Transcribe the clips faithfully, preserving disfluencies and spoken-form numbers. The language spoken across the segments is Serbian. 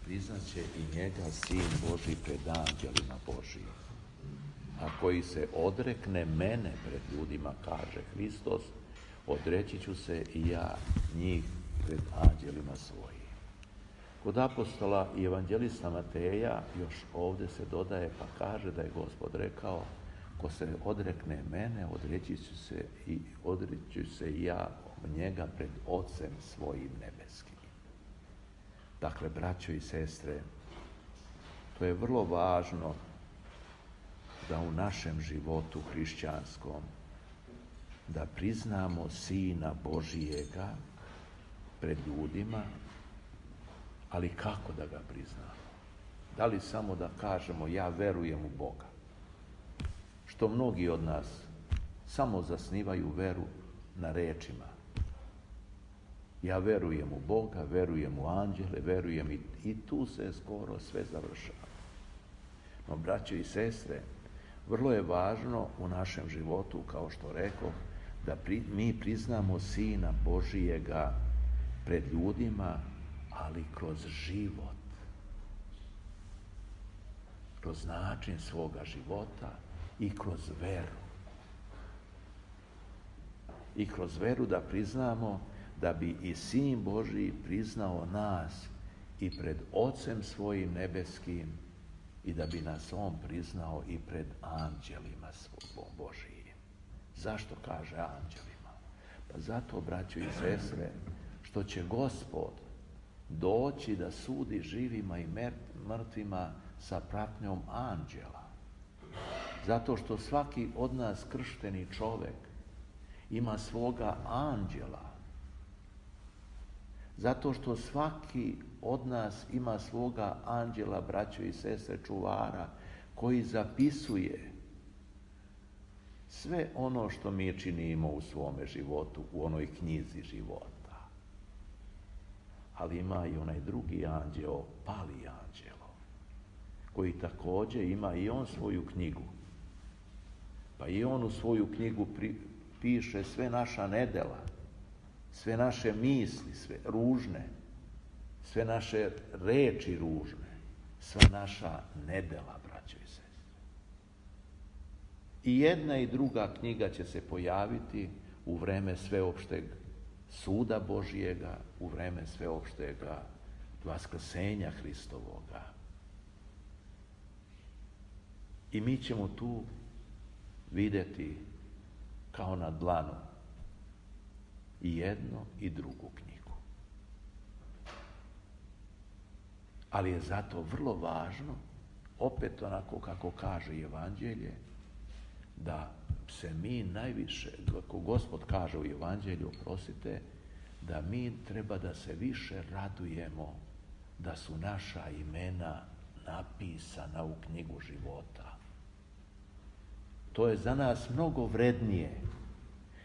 priznaće i njega Sin Božji pred anđelima Božijim. A koji se odrekne mene pred ljudima, kaže Hristos, odreći ću se i ja njih pred anđelima svojim. Kod apostola i evanđelista Mateja još ovdje se dodaje pa kaže da je Gospod rekao, ko se odrekne mene, odreći ću se i odreći se i ja njega pred Ocem svojim nebeskim. Dakle, braćo i sestre, to je vrlo važno da u našem životu hrišćanskom da priznamo Sina Božijega pred ljudima, ali kako da ga priznamo? Da li samo da kažemo ja verujem u Boga? Što mnogi od nas samo zasnivaju veru na rečima. Ja verujem u Boga, verujem u anđele, verujem i, i tu se skoro sve završava. No, braće i sestre, vrlo je važno u našem životu, kao što rekao, da pri, mi priznamo Sina Božijega pred ljudima, ali kroz život. Kroz način svoga života i kroz veru. I kroz veru da priznamo da bi i Sin Božji priznao nas i pred Ocem svojim nebeskim i da bi nas On priznao i pred anđelima svojim Božijim. Zašto kaže anđelima? Pa zato, braćo i sestre, što će Gospod doći da sudi živima i mrtvima sa pratnjom anđela. Zato što svaki od nas kršteni čovjek ima svoga anđela. Zato što svaki od nas ima svoga anđela, braćo i sestre, čuvara, koji zapisuje sve ono što mi činimo u svome životu, u onoj knjizi života. Ali ima i onaj drugi anđeo, pali anđelo, koji također ima i on svoju knjigu. Pa i on u svoju knjigu pri, piše sve naša nedela, sve naše misli, sve ružne, sve naše reči ružne, sva naša nedela, braćo i sestre. I jedna i druga knjiga će se pojaviti u vreme sveopšteg suda Božijega, u vreme sveopštega vaskrsenja Hristovoga. I mi ćemo tu vidjeti kao na dlanu i jedno i drugu knjigu. Ali je zato vrlo važno, opet onako kako kaže Evanđelje, da se mi najviše, kako Gospod kaže u Evanđelju, oprostite, da mi treba da se više radujemo da su naša imena napisana u knjigu života. To je za nas mnogo vrednije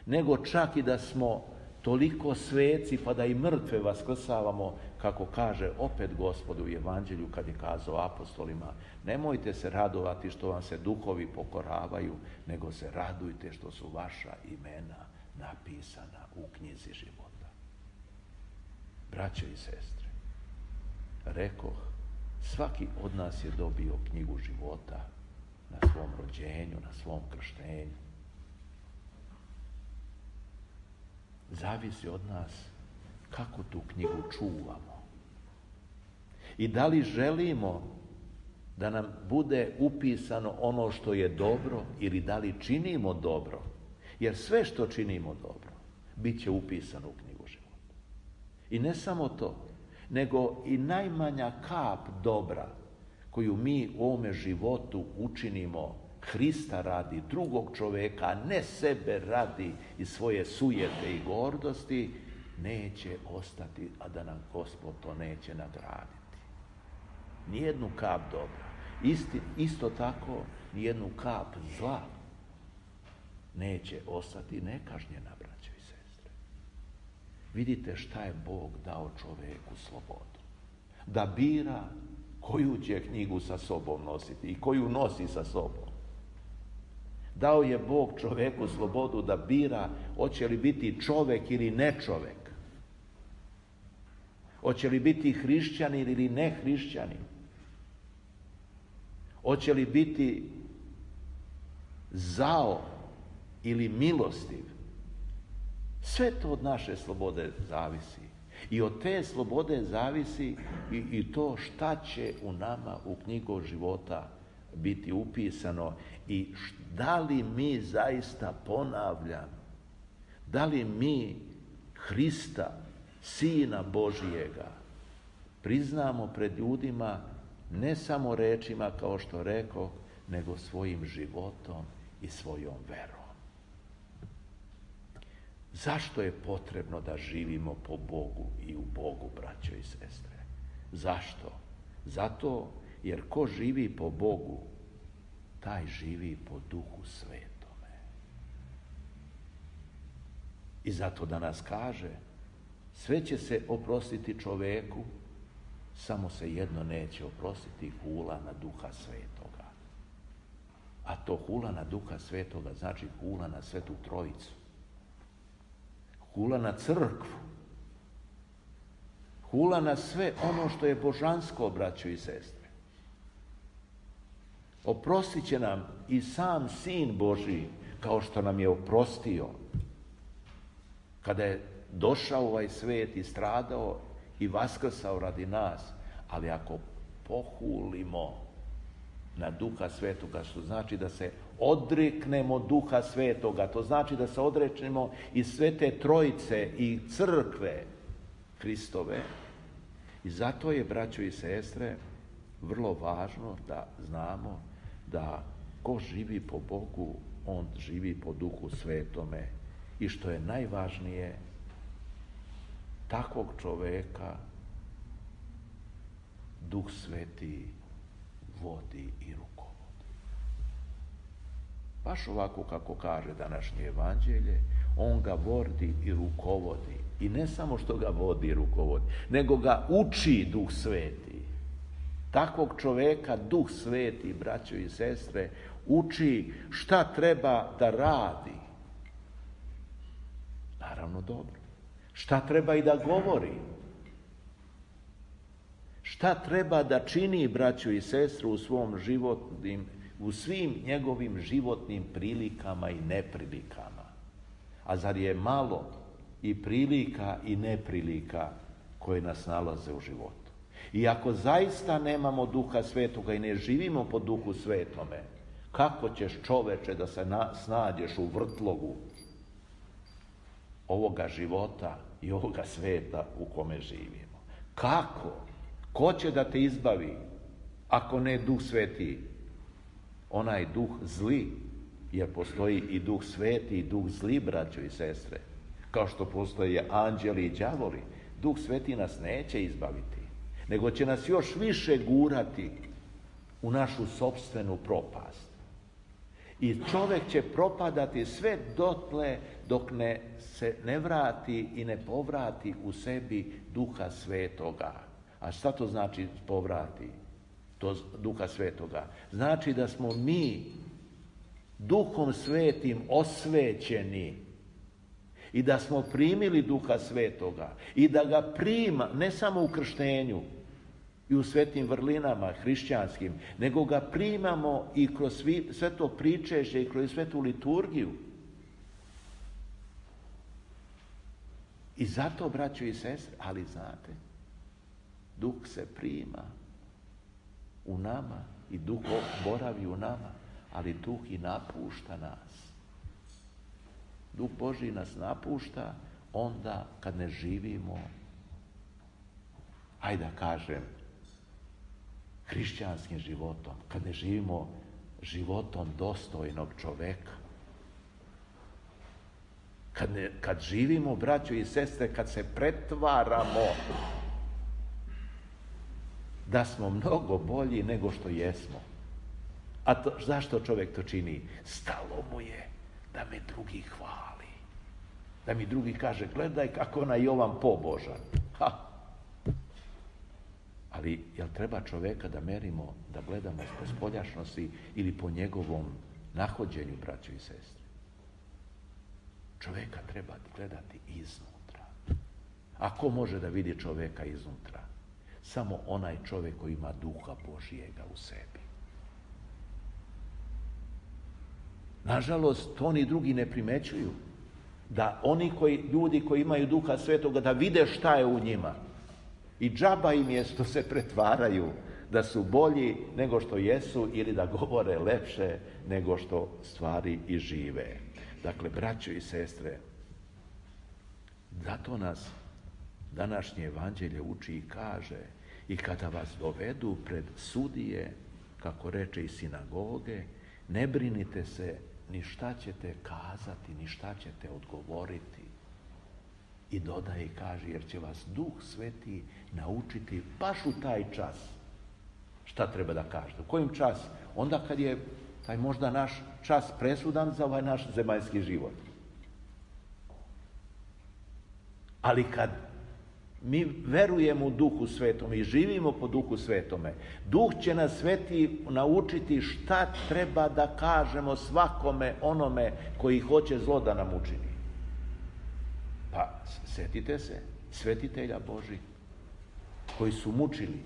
nego čak i da smo toliko sveci pa da i mrtve vaskrsavamo, kako kaže opet Gospod u Evanđelju kad je kazao apostolima, nemojte se radovati što vam se duhovi pokoravaju, nego se radujte što su vaša imena napisana u knjizi života. Braćo i sestre, rekoh, svaki od nas je dobio knjigu života na svom rođenju, na svom krštenju. Zavisi od nas kako tu knjigu čuvamo. I da li želimo da nam bude upisano ono što je dobro ili da li činimo dobro. Jer sve što činimo dobro bit će upisano u knjigu života. I ne samo to, nego i najmanja kap dobra koju mi u ovome životu učinimo Hrista radi, drugog čovjeka, a ne sebe radi i svoje sujete i gordosti, neće ostati, a da nam Gospod to neće nagraditi. Nijednu kap dobra. Isti, isto tako, nijednu kap zla neće ostati nekažnjena, braćo i sestre. Vidite šta je Bog dao čovjeku slobodu. Da bira koju će knjigu sa sobom nositi i koju nosi sa sobom. Dao je Bog čovjeku slobodu da bira hoće li biti čovjek ili ne čovjek. Hoće li biti hrišćanin ili ne hrišćanin? Hoće li biti zao ili milostiv? Sve to od naše slobode zavisi. I od te slobode zavisi i, i to šta će u nama u knjigu života biti upisano i da li mi zaista, ponavljam, da li mi Hrista, Sina Božijega, priznamo pred ljudima ne samo rečima kao što rekao, nego svojim životom i svojom verom. Zašto je potrebno da živimo po Bogu i u Bogu, braćo i sestre? Zašto? Zato jer ko živi po Bogu, taj živi po Duhu Svetome. I zato danas kaže, sve će se oprostiti čoveku, samo se jedno neće oprostiti, hula na Duha Svetoga. A to hula na Duha Svetoga znači hula na Svetu Trojicu. Hula na crkvu. Hula na sve ono što je božansko, braćo i sestre. Oprostit će nam i sam Sin Božji, kao što nam je oprostio kada je došao u ovaj svet i stradao i vaskrsao radi nas. Ali ako pohulimo na Duha Svetoga, što znači da se odreknemo Duha Svetoga, to znači da se odreknemo i Svete Trojice i crkve Hristove. I zato je, braćo i sestre, vrlo važno da znamo da ko živi po Bogu, on živi po Duhu Svetome. I što je najvažnije, takvog čoveka Duh Sveti vodi i rukovodi. Baš ovako kako kaže današnje evanđelje, on ga vodi i rukovodi. I ne samo što ga vodi i rukovodi, nego ga uči Duh Sveti. Takvog čoveka Duh Sveti, braćo i sestre, uči šta treba da radi. Naravno dobro. Šta treba i da govori. Šta treba da čini, braćo i sestre, u svom životnim, u svim njegovim životnim prilikama i neprilikama. A zar je malo i prilika i neprilika koje nas nalaze u životu? I ako zaista nemamo Duha Svetoga i ne živimo po Duhu Svetome, kako ćeš, čoveče, da se na, snađeš u vrtlogu ovoga života i ovoga sveta u kome živimo? Kako? Ko će da te izbavi ako ne Duh Sveti? Onaj duh zli, jer postoji i Duh Sveti i Duh zli, braćo i sestre. Kao što postoje anđeli i đavoli, Duh Sveti nas neće izbaviti, nego će nas još više gurati u našu sopstvenu propast. I čovjek će propadati sve dotle dok ne se ne vrati i ne povrati u sebi Duha Svetoga. A šta to znači povrati to Duha Svetoga? Znači da smo mi Duhom Svetim osvećeni i da smo primili Duha Svetoga i da ga prima ne samo u krštenju i u svetim vrlinama hrišćanskim, nego ga primamo i kroz svi, sve to pričešće i kroz svetu liturgiju. I zato, braćo i sestre, ali znate, Duh se prima u nama i Duh boravi u nama, ali Duh i napušta nas. Duh Božji nas napušta onda kad ne živimo, ajde da kažem, hrišćanskim životom, kad ne živimo životom dostojnog čoveka. Kad, ne, kad živimo, braćo i sestre, kad se pretvaramo da smo mnogo bolji nego što jesmo. A to, zašto čovjek to čini? Stalo mu je da me drugi hvali. Da mi drugi kaže, gledaj kako onaj Jovan pobožan. Ha! Ali, jel treba čovjeka da merimo, da gledamo po spoljašnosti ili po njegovom nahođenju, braćo i sestre? Čovjeka treba gledati iznutra. A ko može da vidi čoveka iznutra? Samo onaj čovjek koji ima duha Božijega u sebi. Nažalost, to oni drugi ne primećuju. Da oni koji, ljudi koji imaju duha svetoga, da vide šta je u njima. I džaba im je što se pretvaraju da su bolji nego što jesu ili da govore lepše nego što stvari i žive. Dakle, braćo i sestre, zato nas današnje evanđelje uči i kaže: i kada vas dovedu pred sudije, kako reče i sinagoge, ne brinite se ni šta ćete kazati, ni šta ćete odgovoriti. I dodaje i kaže: jer će vas Duh Sveti naučiti baš u taj čas šta treba da kažete. U kojim čas? Onda kad je taj možda naš čas presudan za ovaj naš zemaljski život. Ali kad mi verujemo u Duhu Svetome i živimo po Duhu Svetome, Duh će nas Sveti naučiti šta treba da kažemo svakome onome koji hoće zlo da nam učini. Pa setite se svetitelja Božih koji su mučili,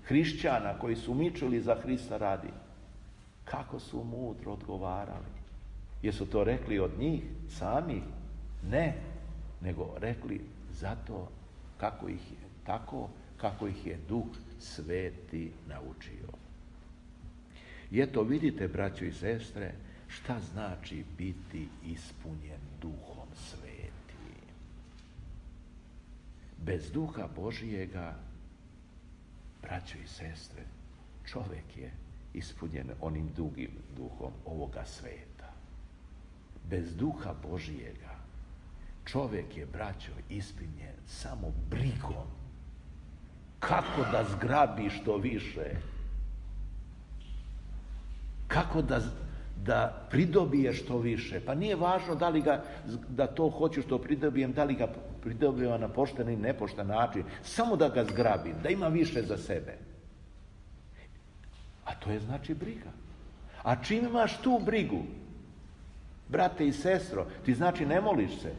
hrišćana koji su mučili za Hrista radi. Kako su mudro odgovarali. Jesu to rekli od njih samih? Ne, nego rekli zato kako ih je, tako kako ih je Duh Sveti naučio. I eto, vidite, braćo i sestre, šta znači biti ispunjen Duhom Svetim. Bez Duha Božijega, braćo i sestre, čovjek je ispunjen onim drugim duhom ovoga sveta. Bez Duha Božijega čovjek je, braćo, ispunjen samo brigom. Kako da zgrabi što više? Kako da, da pridobije što više? Pa nije važno da li ga, da to hoću što pridobijem, da li ga pridobijem na pošten ili nepošten način. Samo da ga zgrabim, da ima više za sebe. A to je znači briga. A čim imaš tu brigu, brate i sestro, ti znači ne moliš se.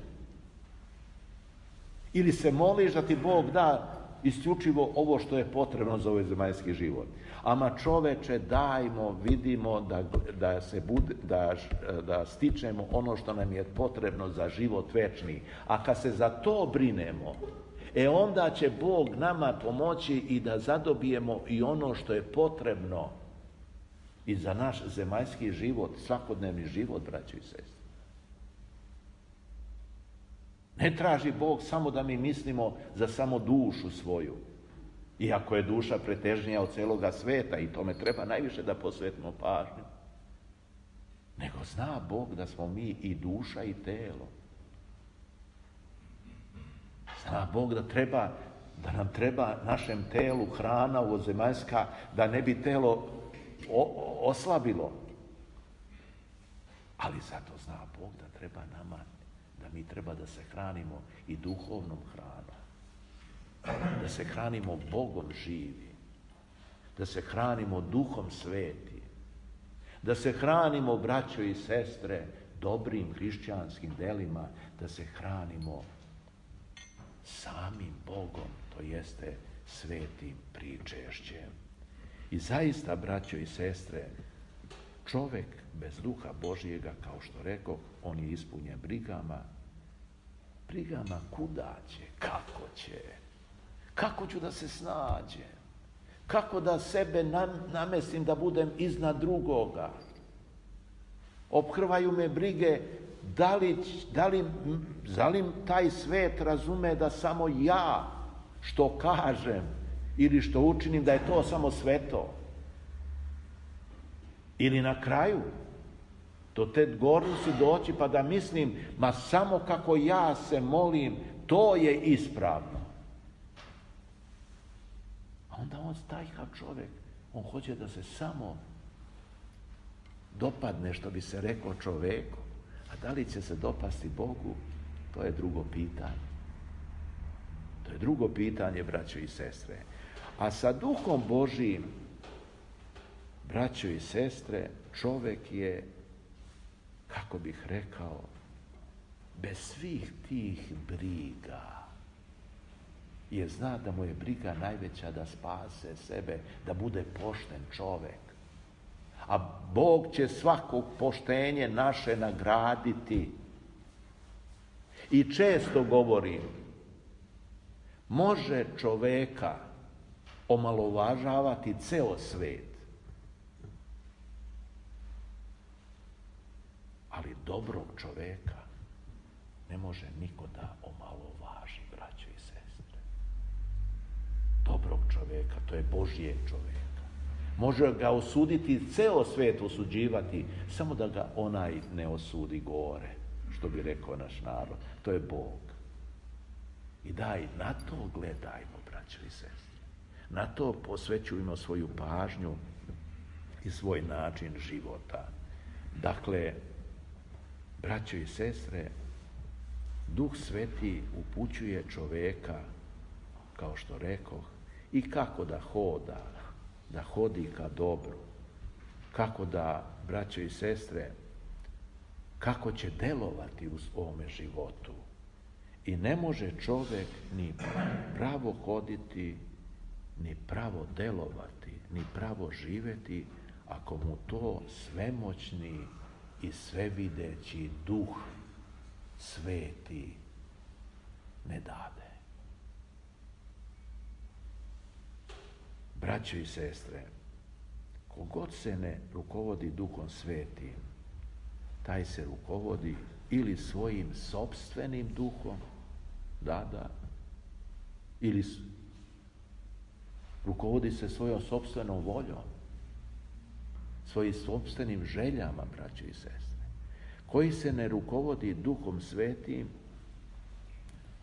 Ili se moliš da ti Bog da isključivo ovo što je potrebno za ovaj zemaljski život. Ama čoveče, dajmo, vidimo da, da, se bude, da, da stičemo ono što nam je potrebno za život večni. A kad se za to brinemo, e onda će Bog nama pomoći i da zadobijemo i ono što je potrebno i za naš zemaljski život, svakodnevni život, braćo i sestre. Ne traži Bog samo da mi mislimo za samo dušu svoju. Iako je duša pretežnija od celoga sveta i tome treba najviše da posvetimo pažnju. Nego zna Bog da smo mi i duša i telo. Zna Bog da treba, da nam treba našem telu hrana ovozemaljska, da ne bi telo o, oslabilo. Ali zato zna Bog da treba nama, da mi treba da se hranimo i duhovnom hranom. Da se hranimo Bogom živi. Da se hranimo Duhom Sveti. Da se hranimo, braćo i sestre, dobrim hrišćanskim delima. Da se hranimo samim Bogom, to jeste svetim pričešćem. I zaista, braćo i sestre, čovjek bez Duha Božijega, kao što rekoh, on je ispunjen brigama. Brigama kuda će, kako će, kako ću da se snađem, kako da sebe namestim da budem iznad drugoga. Ophrvaju me brige da li, da li, da li taj svet razume da samo ja što kažem ili što učinim da je to samo sveto. Ili na kraju do te gornosti doći pa da mislim, ma samo kako ja se molim, to je ispravno. A onda on stajha čovjek, on hoće da se samo dopadne, što bi se rekao, čoveku. A da li će se dopasti Bogu, to je drugo pitanje. To je drugo pitanje, braćo i sestre. A sa Duhom Božijim, braćo i sestre, čovjek je, kako bih rekao, bez svih tih briga. jer zna da mu je briga najveća da spase sebe, da bude pošten čovjek. A Bog će svako poštenje naše nagraditi. I često govorim, može čovjeka omalovažavati ceo svet, ali dobrog čovjeka ne može niko da omalovaži, braćo i sestre. Dobrog čovjeka, to je Božijeg čovjeka. Može ga osuditi, ceo svet osuđivati, samo da ga onaj ne osudi gore, što bi rekao naš narod. To je Bog. I daj, na to gledajmo, braćo i sestre. Na to posvećujemo svoju pažnju i svoj način života. Dakle, braćo i sestre, Duh Sveti upućuje čovjeka, kao što rekoh, i kako da hoda, da hodi ka dobru, kako da, braćo i sestre, kako će delovati u ovome životu. I ne može čovjek ni pravo hoditi, ni pravo delovati, ni pravo živjeti, ako mu to svemoćni i svevideći Duh Sveti ne dade. Braćo i sestre, kogod se ne rukovodi Duhom Svetim, taj se rukovodi ili svojim sopstvenim duhom, da, da, ili rukovodi se svojom sopstvenom voljom, svojim sopstvenim željama, braćo i sestre. Koji se ne rukovodi Duhom Svetim,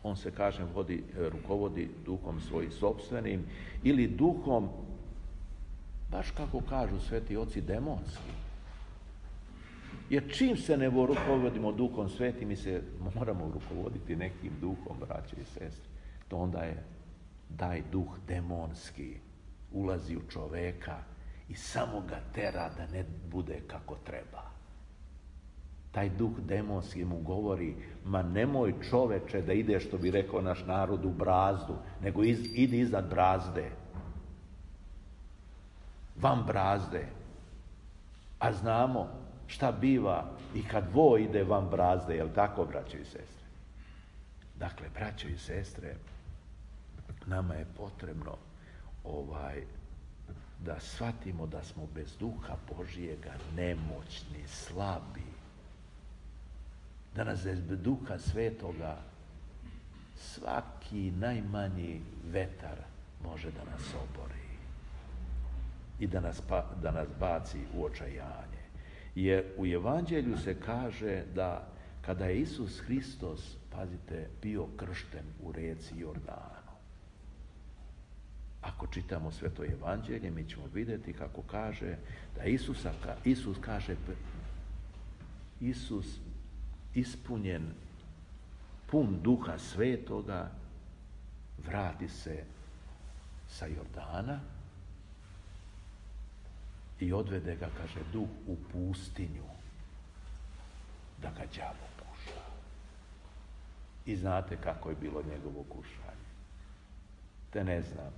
on se, kažem, vodi, rukovodi duhom svojim sopstvenim ili duhom, baš kako kažu sveti oci, demonski. Jer čim se ne rukovodimo Duhom Svetim, mi se moramo rukovoditi nekim duhom, braće i sestre. To onda je taj duh demonski ulazi u čoveka i samo ga tera da ne bude kako treba. Taj duh demonski mu govori, ma nemoj čoveče da ide, što bi rekao naš narod, u brazdu, nego iz, idi iznad brazde. Van brazde. A znamo šta biva i kad vo ide van brazde, jel tako, braćo i sestre? Dakle, braćo i sestre, nama je potrebno ovaj, da shvatimo da smo bez Duha Božijega nemoćni, slabi. Da nas bez Duha Svetoga svaki najmanji vetar može da nas obori i da nas, pa, da nas baci u očajanje. Jer u Evanđelju se kaže da kada je Isus Hristos, pazite, bio kršten u rijeci Jordanu. Ako čitamo Sveto Evanđelje, mi ćemo vidjeti kako kaže da Isusa, Isus kaže, Isus ispunjen, pun Duha Svetoga, vrati se sa Jordana i odvede ga, kaže, Duh u pustinju da ga đavo kuša. I znate kako je bilo njegovo kušanje. Te ne znam.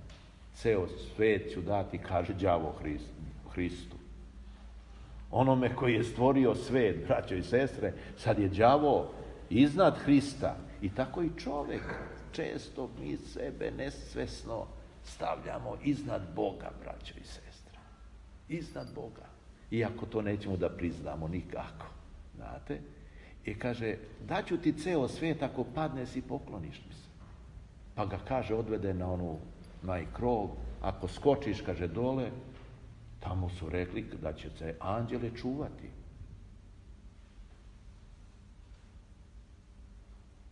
Ceo svet ću dati, kaže đavo Hristu. Onome koji je stvorio svet, braćo i sestre, sad je đavo iznad Hrista. I tako i čovjek. Često mi sebe nesvesno stavljamo iznad Boga, braćo i sestre. Iznad Boga. Iako to nećemo da priznamo nikako. Znate? I kaže, daću ti ceo svet ako padneš i pokloniš mi se. Pa ga, kaže, odvede na onu najkrov. Ako skočiš, kaže, dole, tamo su rekli da će se anđele čuvati.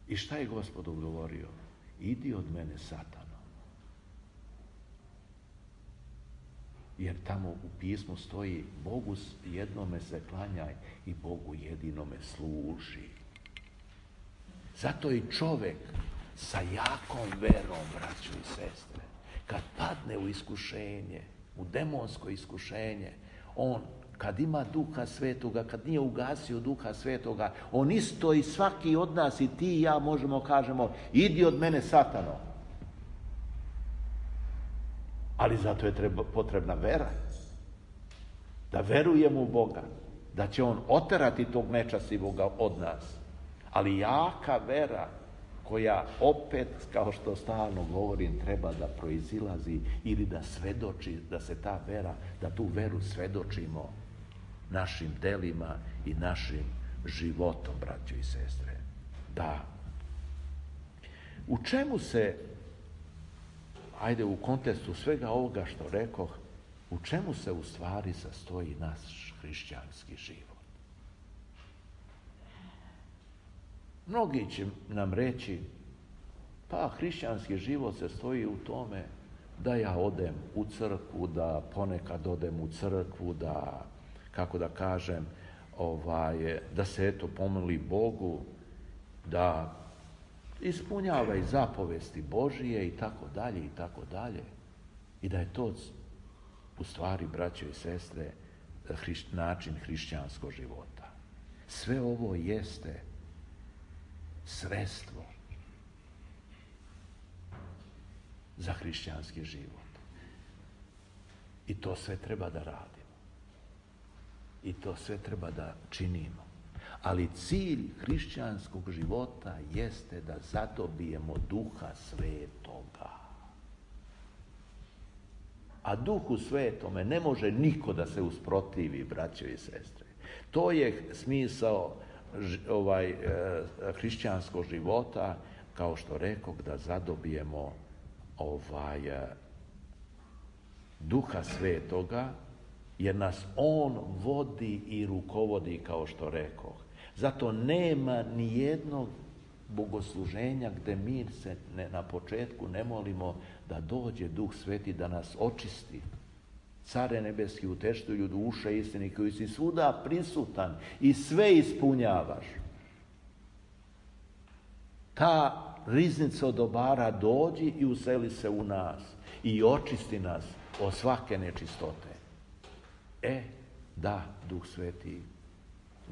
I šta je Gospod odgovorio? Idi od mene, Satano. Jer tamo u pismu stoji, Bogu jednome se klanjaj i Bogu jedinome služi. Zato i čovjek sa jakom verom, braćo i sestre, kad padne u iskušenje, u demonsko iskušenje, on kad ima Duha Svetoga, kad nije ugasio Duha Svetoga, on isto i svaki od nas, i ti i ja, možemo kažemo, idi od mene, Satano. Ali zato je treba, potrebna vera. Da verujemo u Boga. Da će On oterati tog nečastivoga od nas. Ali jaka vera koja opet, kao što stalno govorim, treba da proizilazi ili da svedoči, da se ta vera, da tu veru svedočimo našim delima i našim životom, braćo i sestre. Da. U čemu se, ajde u kontekstu svega ovoga što rekoh, u čemu se u stvari sastoji naš hrišćanski život? Mnogi će nam reći, pa hrišćanski život se stoji u tome da ja odem u crkvu, da ponekad odem u crkvu, da, kako da kažem, ovaj, da se eto pomoli Bogu, da ispunjava i zapovesti Božije i tako dalje i tako dalje. I da je to u stvari, braćo i sestre, hriš, način hrišćanskog života. Sve ovo jeste sredstvo za hrišćanski život. I to sve treba da radimo. I to sve treba da činimo. Ali cilj hrišćanskog života jeste da zadobijemo Duha Svetoga. A Duhu Svetome ne može niko da se usprotivi, braćo i sestre. To je smisao ovaj, hrišćanskog života, kao što rekoh, da zadobijemo ovaj, Duha Svetoga, jer nas On vodi i rukovodi, kao što rekoh. Zato nema ni jednog bogosluženja gde mi se ne, na početku ne molimo da dođe Duh Sveti da nas očisti. Care nebeski, uteštuju duše istini, koji si svuda prisutan i sve ispunjavaš. Ta riznica od dobara dođi i useli se u nas i očisti nas od svake nečistote. E, da, Duh Sveti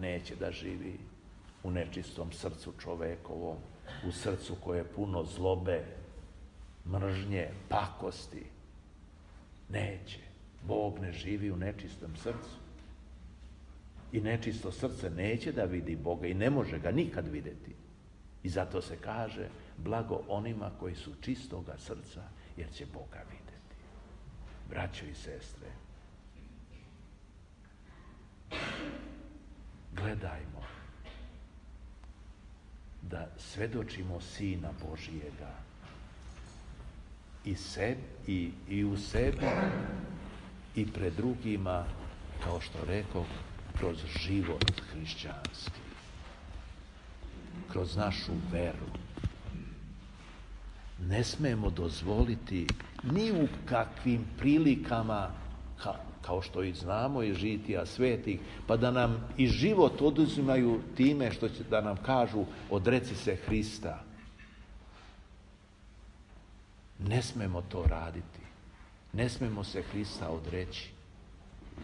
neće da živi u nečistom srcu čovekovom, u srcu koje je puno zlobe, mržnje, pakosti. Neće. Bog ne živi u nečistom srcu. I nečisto srce neće da vidi Boga i ne može ga nikad vidjeti. I zato se kaže, blago onima koji su čistoga srca, jer će Boga vidjeti. Braćo i sestre, gledajmo da svedočimo Sina Božijega i, seb, i, i u sebi i pred drugima, kao što rekao, kroz život hrišćanski, kroz našu veru. Ne smemo dozvoliti ni u kakvim prilikama, ka, kao što i znamo iz žitija svetih, pa da nam i život oduzimaju time što će da nam kažu odreci se Hrista. Ne smemo to raditi. Ne smemo se Hrista odreći.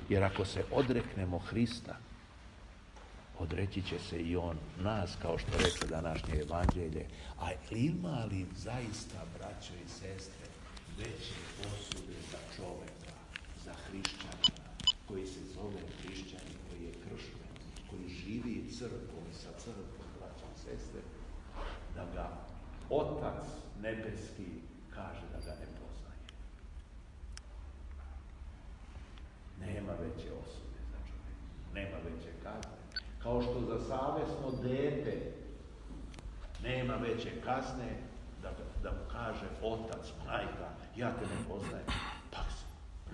Jer ako se odreknemo Hrista, odreći će se i On nas, kao što reče današnje evanđelje. A ima li zaista, braćo i sestre, veće osude za čoveka, za hrišćanina, koji se zove hrišćanin, koji je kršten, koji živi crkvom sa crkvom, braćo i sestre, da ga Otac nebeski kaže da ga ne poznaje. Nema veće osude za čoveka, nema veće kazne. Kao što za savesno dete nema veće kazne da, da mu kaže otac, majka, ja te ne poznajem. Pa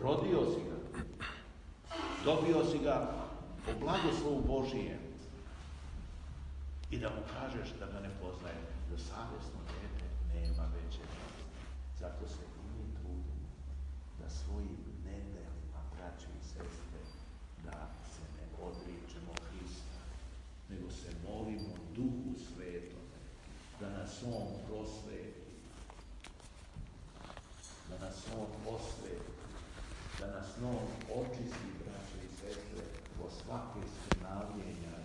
rodio si ga, dobio si ga po blagoslovu Božijem i da mu kažeš da ga ne poznaje. Za savesno dete nema veće kazne. Zato se i mi trudimo da svojim nedelima, braće i sestre, da se ne odričemo Hrista, nego se molimo Duhu Svetom, da nas On prosveti, da nas On osveti, da nas On očisti, braće i sestre, od svake skrnavljenja